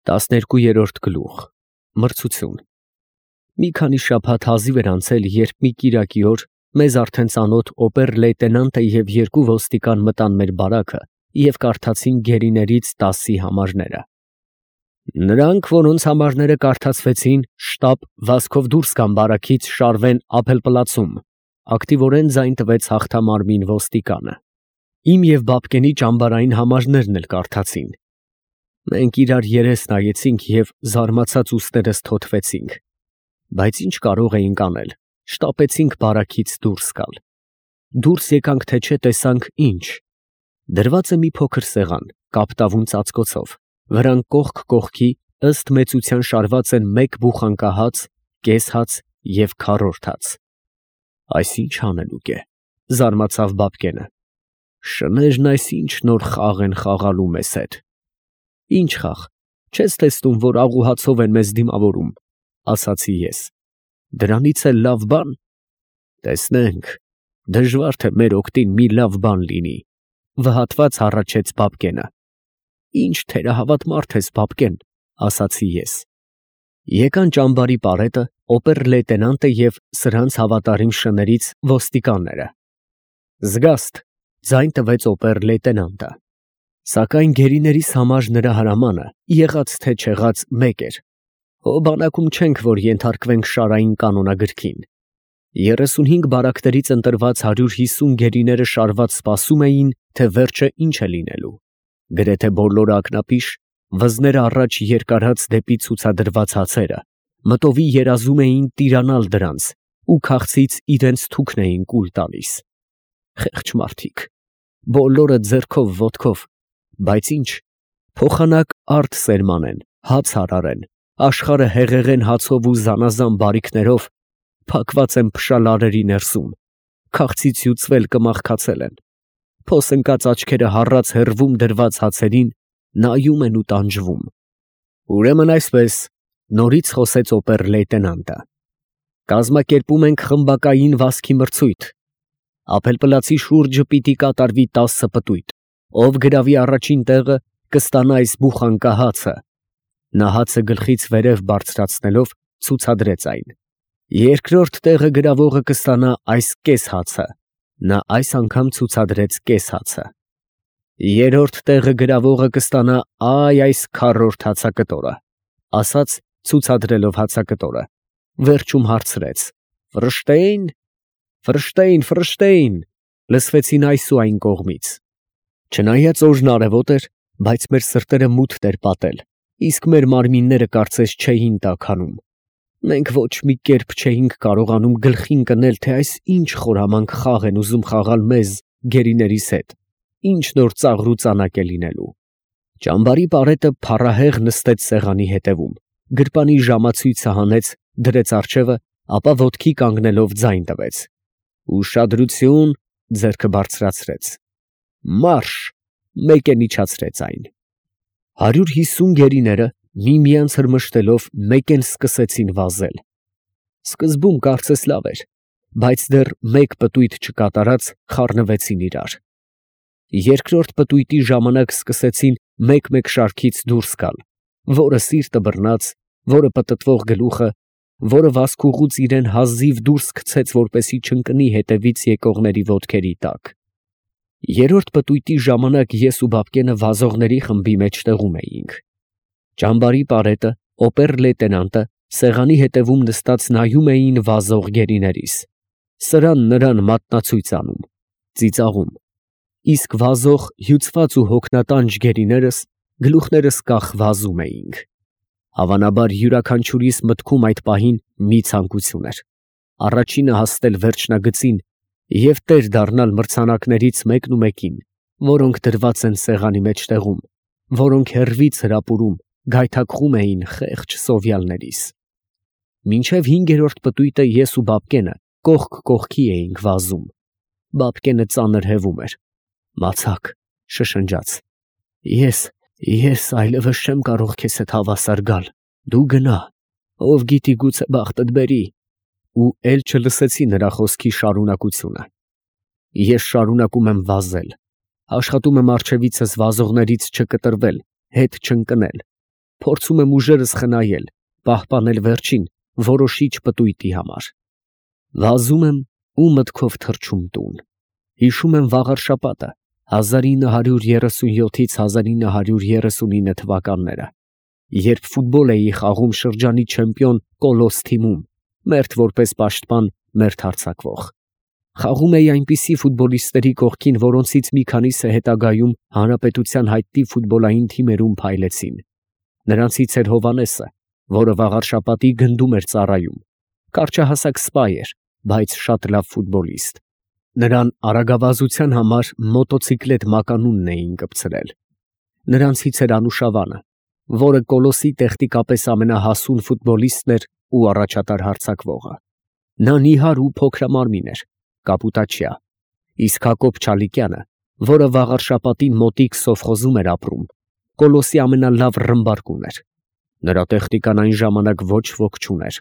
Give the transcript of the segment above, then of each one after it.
12-րդ գլուխ Մրցություն Մի քանի շաբաթ հազիվ էր անցել, երբ մի կիրակի օր մեզ արդեն ծանոթ օբեր֊լեյտենանտը և երկու ոստիկան մտան մեր բարաքը և կարդացին գերիներից 10-ի համարները։ Նրանք, որոնց համարները կարդացվեցին, շտապ վազքով դուրս գան բարաքից, շարվեն Ափելպլացում, ակտիվորեն ձայն տվեց հաղթամարմին ոստիկանը։ Իմ և Բաբկենի ճամբարային համարներն էլ կարդացին։ Մենք իրար երես նայեցինք և զարմացած ուսներս թոթվեցինք, բայց ինչ կարող էինք անել, շտապեցինք բարաքից դուրս գալ։ Դուրս եկանք, թե չէ տեսանք ինչ. դրված է մի փոքր սեղան, կապտավուն ծածկոցով, վրան կողք կողքի ըստ մեծության շարված են մեկ բուխանկահաց, կես հաց և քառորդ հաց։ Այս ի՞նչ հանելուկ է, զարմացավ Բաբկենը։ Շներն այս ի՞նչ նոր խաղ են խաղալու մեզ հետ։ Ինչ խաղ, չես տեսնում, որ աղուհացով են մեզ դիմավորում, ասացի ես։ Դրանից էլ լավ բան։ Տեսնենք, դժվար թե մեր օգտին մի լավ բան լինի, վհատված հառաչեց Բաբկենը։ Ինչ թերահավատ մարդ ես, Բաբկեն, ասացի ես։ Եկան ճամբարի պարետը, օբեր֊լեյտենանտը և սրանց հավատարիմ շներից ոստիկանները։ Զգաստ, ձայն տվեց օբեր֊լեյտենանտը։ Սակայն գերիներիս համար նրա հրամանը, եղած թե չեղած, մեկ էր։ Հո բանակում չենք, որ ենթարկվենք շարային կանոնագրքին։ 35 բարակներից ընտրված 150 գերիները շարված սպասում էին, թե վերջը ինչ է լինելու։ Գրեթե բոլորը ակնապիշ, վզները առաջ երկարած դեպի ցուցադրված հացերը, մտովի երազում էին տիրանալ դրանց ու քաղցից իրենց թուքն էին կուլ տալիս։ Խեղճ մարդիկ, բոլորը ձեռքով ոտքով, բայց ինչ, փոխանակ արդ սերմանեն, հաց հարարեն, աշխարհը հեղեղեն հացով ու զանազան բարիքներով, փակված են փշալարերի ներսում, քաղցից հյուծվել կմաղքացել են, փոս ընկած աչքերը հառած հեռվում դրված հացերին, նայում են ու տանջվում։ Ուրեմն այսպես, նորից խոսեց օբեր֊լեյտենանտը։ Կազմակերպում ենք խմբակային վազքի մրցույթ։ Ափելպլացի շուրջը պիտի կատարվի 10 պտույտ։ Ով գրավի առաջին տեղը, կստանա այս բուխանկահացը։ Նա հացը գլխից վերև բարձրացնելով ցուցադրեց այն։ Երկրորդ տեղը գրավողը կստանա այս կես հացը։ Նա այս անգամ ցուցադրեց կես հացը։ Երրորդ տեղը գրավողը կստանա այս քառորդ հացակտորը, ասաց ցուցադրելով հացակտորը։ Վերջում հարցրեց. Ֆրշտեյն, Ֆրշտեյն, Ֆրշտեյն, լսվեցին այս ու այն կողմից։ Չնայած օրն արևոտ էր, բայց մեր սրտերը մութ էր պատել, իսկ մեր մարմինները կարծես չէին տաքանում։ Մենք ոչ մի կերպ չէինք կարողանում գլխին կնել, թե այս ինչ խորամանկ խաղ են ուզում խաղալ մեզ, գերիներիս հետ, ինչ նոր ծաղրուծանակ է լինելու։ Ճամբարի պարետը փառահեղ նստեց սեղանի հետևում, գրպանի ժամացույցը հանեց, դրեց առջևը, ապա ոտքի կանգնելով ձայն տվեց։ Ուշադրություն, ձեռքը բարձրացրեց։ Մարշ, մեկ է իջացրեց այն։ 150 գերիները միմյանց հրմշտելով մեկ են սկսեցին վազել։ Սկզբում կարծես լավ էր, բայց դեռ մեկ պտույտ չկատարած խառնվեցին իրար։ Երկրորդ պտույտի ժամանակ սկսեցին մեկ-մեկ շարքից դուրս գալ, որը սիրտը բռնած, որը պտտվող գլուխը, որը վազքուղուց իրեն հազիվ դուրս գցեց, որպեսզի չընկնի հետևից եկողների ոտքերի տակ։ Երրորդ պտույտի ժամանակ ես ու Բաբկենը վազողների խմբի մեջտեղում էինք։ Ճամբարի պարետը, օբեր֊լեյտենանտը սեղանի հետևում նստած նայում էին վազող գերիներիս, սրան նրան մատնացույց անում, ծիծաղում, իսկ վազող հյուծված ու հոգնատանջ գերիներս գլուխներս կախ վազում էինք։ Հավանաբար յուրաքանչյուրիս մտքում այդ պահին մի ցանկություն էր. առաջինը հասնել վերջնագծին և տեր դառնալ մրցանակներից մեկն ու մեկին, որոնք դրված են սեղանի մեջտեղում, որոնք հեռվից հրապուրում, գայթակղում էին խեղճ սովյալներիս։ Մինչև 5-րդ պտույտը ես ու Բաբկենը կողք կողքի էինք վազում։ Բաբկենը ծանր հևում էր։ Մացակ, շշնջաց. Ես այլևս չեմ կարող քեզ հետ հավասար գալ, դու գնա, ով գիտի գուցե բախտդ բերի։ Ու էլ չլսեցի նրա խոսքի շարունակությունը։ Ես շարունակում եմ վազել, աշխատում եմ առջևիցս վազողներից չկտրվել, հետ չընկնել, Փորձում եմ ուժերս խնայել, պահպանել վերջին, որոշիչ պտույտի համար։ Վազում եմ ու մտքով թռչում տուն։ Հիշում եմ վաղ շաբաթը, 1937-ից 1939 թվականները, երբ ֆուտբոլ էի խաղում շրջանի չեմպիոն Կոլոս թիմում, մերթ որպես պաշտպան, մերթ հարձակվող։ Խաղում էի այնպիսի ֆուտբոլիստների կողքին, որոնցից մի քանիսը հետագայում հանրապետության հայտնի ֆուտբոլային թիմերում փայլեցին։ Նրանցից էր Հովանեսը, որը վաղարշաբաթի գնդում էր ծառայում։ Կարճահասակ սպա էր, բայց շատ լավ ֆուտբոլիստ։ Նրան արագավազության համար մոտոցիկլետ մականունն էին կպցրել։ Նրանցից էր Անուշավանը, որը Կոլոսի տեխնիկապես ամենահասուն ֆուտբոլիստն էր ու առաջատար հարձակվողը։ Նա նիհար ու փոքրամարմին էր, կապուտաչյա, իսկ Հակոբ Չալիկյանը, որը վաղարշաբաթի մոտիկ սովխոզում էր ապրում, Կոլոսի ամենալավ ռմբարկուն էր։ Նրա տեխնիկան այն ժամանակ ոչ ոք չուներ։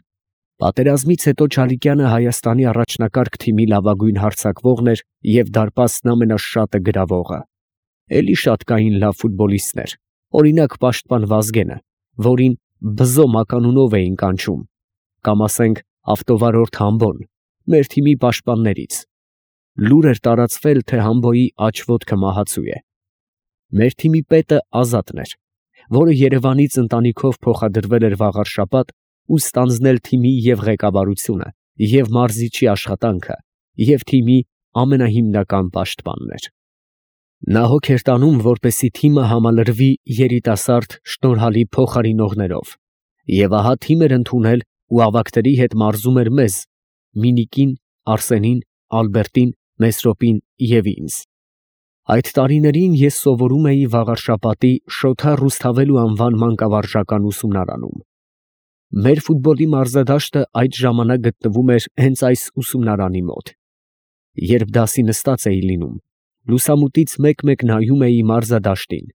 Պատերազմից հետո Չալիկյանը Հայաստանի առաջնակարգ թիմի լավագույն հարձակվողն էր և դարպասն ամենաշատը գրավողը։ Էլի շատ կային լավ ֆուտբոլիստներ, օրինակ պաշտպան Վազգենը, որին Բզո մականունով էին կանչում, կամ ասենք ավտովարորդ Համբոն, մեր թիմի պաշտպաններից։ Լուր էր տարածվել, թե Համբոյի աջ ոտքը մահացու է։ Մեր թիմի պետը Ազատն էր, որը Երևանից ընտանիքով փոխադրվել էր վաղարշաբաթ ու ստանձնել թիմի և ղեկավարությունը, և մարզիչի աշխատանքը, և թիմի ամենահիմնական պաշտպանն էր։ Նա հոգ էր տանում, որպեսզի թիմը համալրվի երիտասարդ շնորհալի փոխարինողներով, և ահա թիմ էր ընդունել ու ավագների հետ մարզում էր մեզ՝ Մինիկին, Արսենին, Ալբերտին, Մեսրոպին և ինձ։ Այդ տարիներին ես սովորում էի վաղարշաբաթի Շոթա Ռուսթավելու անվան մանկավարժական ուսումնարանում։ Մեր ֆուտբոլի մարզադաշտը այդ ժամանակ գտնվում էր հենց այս ուսումնարանի մոտ։ Երբ դասի նստած էի լինում, լուսամուտից մեկ-մեկ նայում էի մարզադաշտին,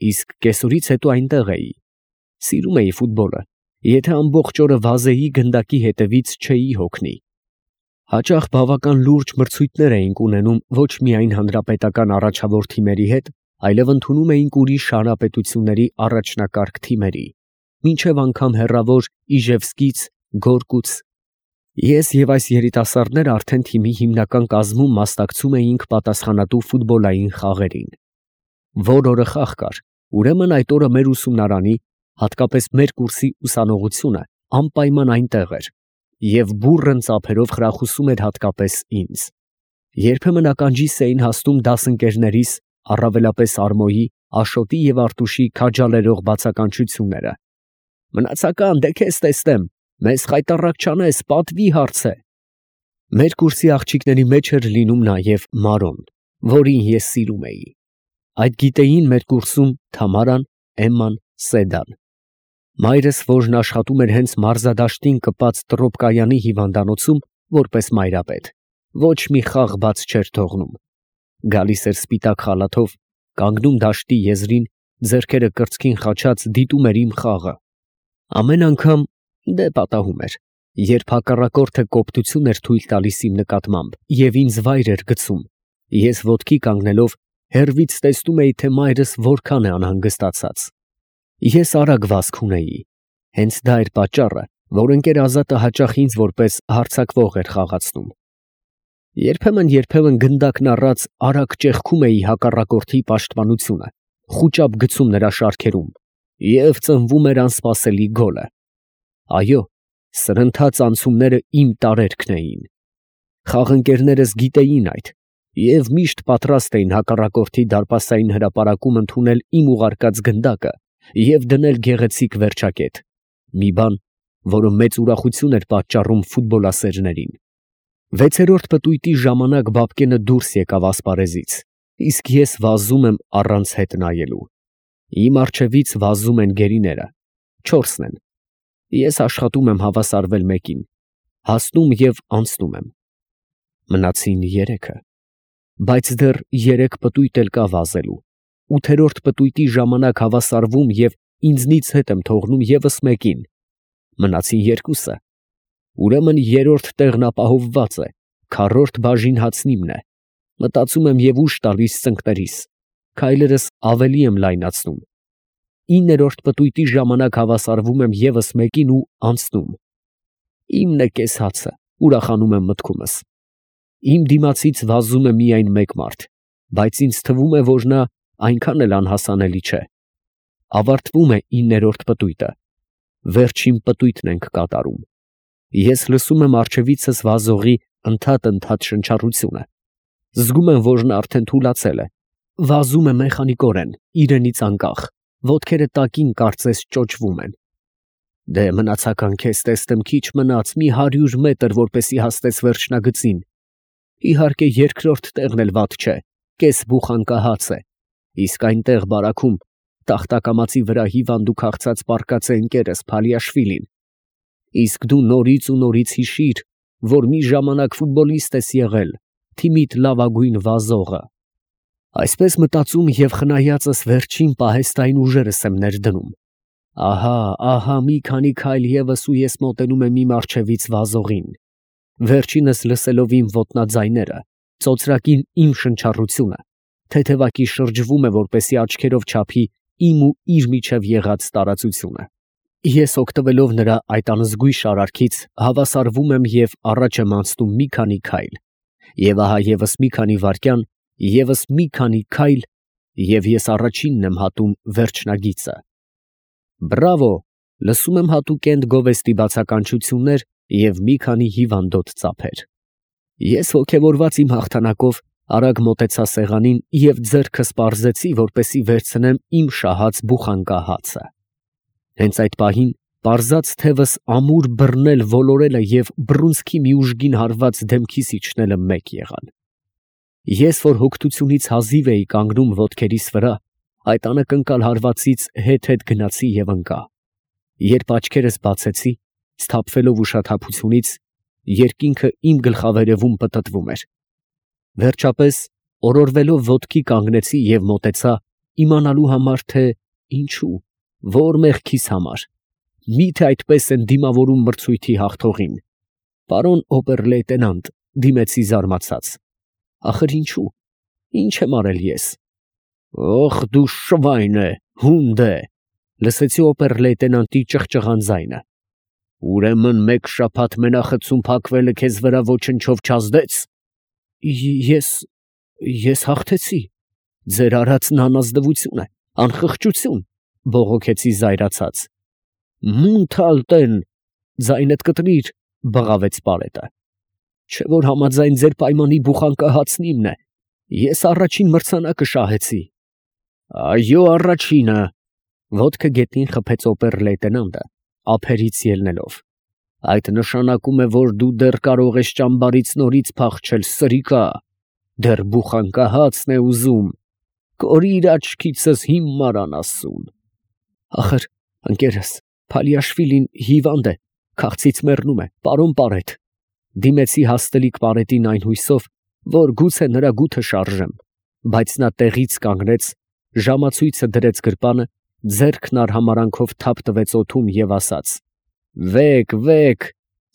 իսկ կեսօրից հետո այնտեղ էի։ Սիրում էի ֆուտբոլը, եթե ամբողջ օրը վազեի գնդակի հետևից չէի հոգնի։ Հաճախ բավական լուրջ մրցույթներ էինք ունենում ոչ միայն հանրապետական առաջավոր թիմերի հետ, այլև ընդունում էինք ուրիշ հանրապետությունների առաջնակարգ թիմերի, մինչև անգամ հեռավոր Իժևսկից, Գորկուց։ Ես և այս երիտասարդները արդեն թիմի հիմնական կազմում մասնակցում էինք պատասխանատու ֆուտբոլային խաղերին։ Որ օրը խաղ կար, ուրեմն այդ օրը մեր ուսումնարանի, հատկապես մեր կուրսի ուսանողությունը անպայման այնտեղ էր և բուռն ծափերով խրախուսում էր հատկապես ինձ։ Երբեմն ականջիս էին հասնում դասընկերներիս, առավելապես Արմոյի, Աշոտի և Արտուշի քաջալերող բացականչությունները. «Մնացական, դե քեզ տեսնեմ, մեզ խայտառակ չանես, պատվի հարց է»։ Մեր կուրսի աղջիկների մեջ էր լինում նաև Մարոն, որին ես սիրում էի։ Այդ գիտեին մեր կուրսում Թամարան, Էմման, Սեդան։ Մայրս, որն աշխատում էր հենց մարզադաշտին կպած Տրոպկայանի հիվանդանոցում որպես մայրապետ, ոչ մի խաղ բաց չէր թողնում։ Գալիս էր սպիտակ խալաթով, կանգնում դաշտի եզրին, ձեռքերը կրծքին խաչած դիտում էր իմ խաղը։ Ամեն անգամ դե պատահում էր, երբ հակառակորդը կոպտություն էր թույլ տալիս իմ նկատմամբ և ինձ վայր էր գցում, ես ոտքի կանգնելով հեռվից տեսնում էի, թե մայրս որքան է անհանգստացած։ Ես արագ վազք ունեի։ Հենց դա էր պատճառը, որ ընկեր Ազատը հաճախ ինձ որպես հարձակվող էր խաղացնում։ Երբեմն գնդակն առած արագ ճեղքում էի հակառակորդի պաշտպանությունը, խուճապ գցում նրա շարքերում, և ծնվում էր անսպասելի գոլը։ Այո, սրընթաց անցումները իմ տարերքն էին։ Խաղընկերներս գիտեին այդ և միշտ պատրաստ էին հակառակորդի դարպասային հրապարակում ընդունել իմ ուղարկած գնդակը և դնել գեղեցիկ վերջակետ, մի բան, որը մեծ ուրախություն էր պատճառում ֆուտբոլասերներին։ 6-րդ պտույտի ժամանակ Բաբկենը դուրս եկավ ասպարեզից, իսկ ես վազում եմ առանց հետ նայելու։ Իմ առջևից վազում են գերիները, 4-ն են։ Ես աշխատում եմ հավասարվել մեկին, հասնում և անցնում եմ։ Մնացին 3-ը, բայց դեռ 3 պտույտ էլ կա վազելու։ 8-րդ պտույտի ժամանակ հավասարվում և ինձնից հետ եմ թողնում ևս մեկին։ Մնացին 2-ը։ Ուրեմն 3-րդ տեղն ապահովված է, քառորդ բաժին հացն իմն է։ Մտածում եմ և ուժ տալիս ծնկներիս, քայլերս ավելի եմ լայնացնում։ 9-րդ պտույտի ժամանակ հավասարվում եմ ևս մեկին ու անցնում։ Իմն է կես հացը, ուրախանում եմ մտքումս։ Իմ դիմացից վազում է միայն մեկ մարդ, բայց ինձ թվում է, որ նա այնքան էլ անհասանելի չէ։ Ավարտվում է 9-րդ պտույտը։ Վերջին պտույտն ենք կատարում։ Ես լսում եմ առջևիցս վազողի ընդհատ շնչառությունը։ Զգում եմ, որ նա արդեն թուլացել է։ Վազում է մեխանիկորեն, իրենից անկախ, ոտքերը տակին կարծես ճոճվում են։ Դե մնացական քեզ տեսնեմ, քիչ մնաց, մի 100 մետր, որպեսի հասնես վերջնագծին։ Իհարկե երկրորդ տեղն էլ վատ չէ, կես բուխանկահաց է, իսկ այնտեղ բարաքում տախտակամածի վրա հիվանդ ու քաղցած պառկած է ընկերս Փալիաշվիլին։ Իսկ դու նորից ու նորից հիշիր, որ մի ժամանակ ֆուտբոլիստ ես եղել, թիմիդ լավագույն վազողը։ Այսպես մտածում և խնայածս վերջին պահեստային ուժերս եմ ներդնում։ Ահա, մի քանի քայլ ևս ու ես մոտենում եմ իմ առջևից վազողին։ Վերջինս լսելով իմ ոտնաձայները, ծոծրակին իմ շնչառությունը, թեթևակի շրջվում է, որպեսի աչքերով չափի իմ ու իր միջև եղած տարածությունը։ Ես օգտվելով նրա այդ անզգույշ արարքից հավասարվում եմ և առաջ եմ անցնում մի քանի քայլ, և ահա ևս մի քանի վայրկյան, ևս մի քանի քայլ, և ես առաջինն եմ հատում վերջնագիծը։ Բրավո, լսում եմ հատուկենտ գովեստի բացականչություններ և մի քանի հիվանդոտ ծափեր։ Ես ոգևորված իմ հաղթանակով արագ մոտեցա սեղանին և ձեռքս պարզեցի, որպեսի վերցնեմ իմ շահած բուխանկահացը։ Հենց այդ պահին պարզած թևս ամուր բռնել ոլորելը և բռունցքի մի ուժգին հարված դեմքիս իջնելը մեկ եղան։ Ես, որ հոգնությունից հազիվ էի կանգնում ոտքերիս վրա, այդ անակնկալ հարվածից հետ գնացի և ընկա։ Երբ աչքերս բացեցի, սթափվելով ուշաթափությունից, երկինքը իմ գլխավերևում պտտվում էր։ Վերջապես, օրորվելով ոտքի կանգնեցի և մոտեցա, իմանալու համար, թե ինչու, որ մեղքիս համար, միթե այդպես են դիմավորում մրցույթի հաղթողին։ Պարոն օբեր֊լեյտենանտ, դիմեցի զարմացած, ախր ինչու, ինչ եմ արել ես։ Օխ, դու շվայն է, հունդ է, լսեցի օբեր֊լեյտենանտի ճղճղան ձայնը։ Ուրեմն մեկ շաբաթ մենախցում փակվելը քեզ վրա ոչնչով չազդեց։ Ես հաղթեցի։ Ձեր արածն անազնվություն է, անխղճություն, բողոքեցի զայրացած։ Մունթալտեն, ձայնդ կտրիր, բղավեց պարետը։ Չէ որ համաձայն ձեր պայմանի բուխանկահացն իմն է, ես առաջին մրցանակը շահեցի։ Այո, առաջինը, ոտքը գետնին խփեց օբեր֊լեյտենանտը, ափերից ելնելով։ Այդ նշանակում է, որ դու դեռ կարող ես ճամբարից նորից փախչել, սրիկա, դեռ բուխանկահացն է ուզում, կորիր աչքիցս հիմար անասուն։ Ախր, ընկերս, Փալիաշվիլին հիվանդ է, քաղցից մեռնում է, պարոն պարետ, դիմեցի հաստլիկ պարետին այն հույսով, որ գուցե նրա գութը շարժեմ, բայց նա տեղից կանգնեց, ժամացույցը դրեց գրպանը, ձեռքն արհամարանքով թափ տվեց օդում և ասաց. «Վեկ,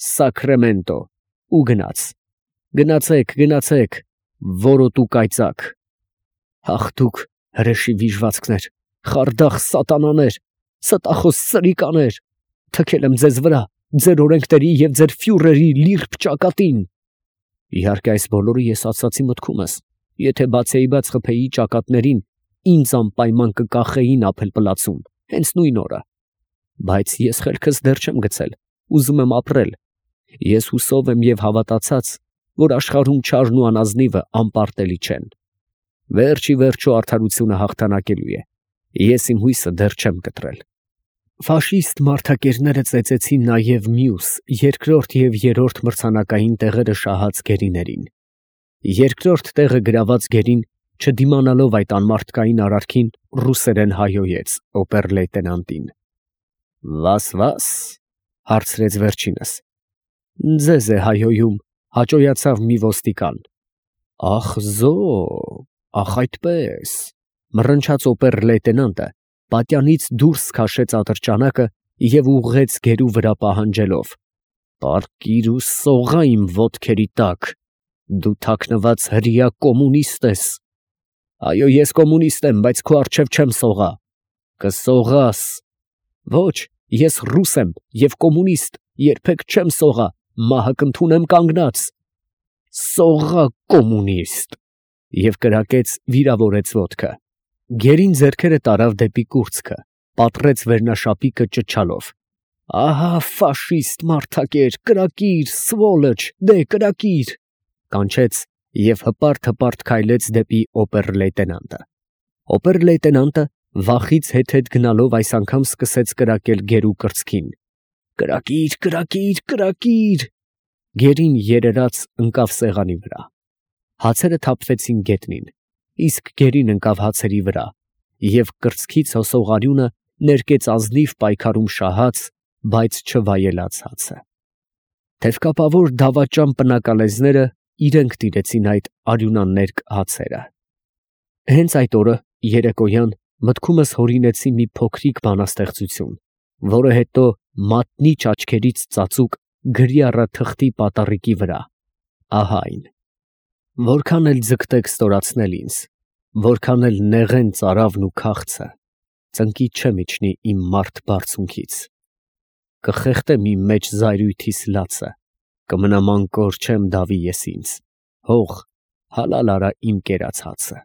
Սակրեմենտո», ու գնաց։ Գնացեք, որոտու կայծակ։ Հաղթուկ հրեշի վիժվածքներ, խարդախ սատանաներ, ստախոս սրիկաներ, թքել եմ ձեզ վրա, ձեր օրենքների և ձեր ֆյուրերի լիրբ ճակատին։ Իհարկե այս բոլորը ես ասացի մտքումս, եթե բացեիբաց խփեի ճակատներին, ինձ անպայման կկախեին ափել-պլացում, հենց նույն օրը։ Բայց ես խելքս դեռ չեմ գցել, ուզում եմ ապրել։ Ես հուսով եմ և հավատացած, որ աշխարհում չարն ու անազնիվը անպարտելի չեն։ Վերջ ի վերջո արդարությունը հաղթանակելու է։ Ես իմ հույսը դեռ չեմ կտրել։ Ֆաշիստ մարդակերները ծեծեցին նաև մյուս, երկրորդ և երրորդ մրցանակային տեղերը շահած գերիներին։ Երկրորդ տեղը գրաված գերին, չդիմանալով այդ անմարդկային արարքին, ռուսերեն հայհոյեց օբեր֊լեյտենանտին։ Վաս, հարցրեց վերջինս։ Ձեզ է հայհոյում, հաճոյացավ մի ոստիկան։ Ախ զո, ախ այդպես, մռնչաց օբեր֊լեյտենանտը, պատյանից դուրս քաշեց ատրճանակը և ուղղեց գերու վրա պահանջելով. «Պառկիր ու սողա իմ ոտքերի տակ, դու թաքնված հրեա կոմունիստ ես»։ Այո, ես կոմունիստ եմ, բայց քո առջև չեմ սողա։ Կսողաս։ Ոչ, ես ռուս եմ և կոմունիստ, երբեք չեմ սողա, մահը կընդունեմ կանգնած։ Սողա կոմունիստ։ Եվ կրակեց, վիրավորեց ոտքը։ Գերին ձեռքերը տարավ դեպի կուրծքը, պատռեց վերնաշապիկը ճչալով. «Ահա ֆաշիստ մարդակեր, կրակիր, սվոլոչ, դե կրակիր», կանչեց և հպարտ քայլեց դեպի օբեր֊լեյտենանտը։ Օբեր֊լեյտենանտը վախից հետ գնալով այս անգամ սկսեց կրակել գերու կրծքին. «Կրակիր, կրակիր, կրակիր»։ Գերին երերաց ընկավ սեղանի վրա։ Հացերը թափվեցին գետնին, իսկ գերին ընկավ հացերի վրա և կրծքից հոսող արյունը ներկեց ազնիվ պայքարում շահած, բայց չվայելած հացը։ Թևկապավոր դավաճան պնակալեզները իրենք տիրեցին այդ արյունաներկ հացերը։ Հենց այդ օրը երեկոյան մտքումս հորինեցի մի փոքրիկ բանաստեղծություն, որը հետո մատնիչ աչքերից ծածուկ գրի առա թղթի պատառիկի վրա, ահա այն. որքան էլ ձգտեք ստորացնել ինձ, որքան էլ նեղեն ծարավն ու քաղցը, ծնկի չմիջնի իմ մարդ բարձունքից, կխեղդեմ իմ մեջ զայրույթիս լացը, կմնամ անկոր չեմ դավի ես ինձ, հող հալալ արա իմ կերած հացը։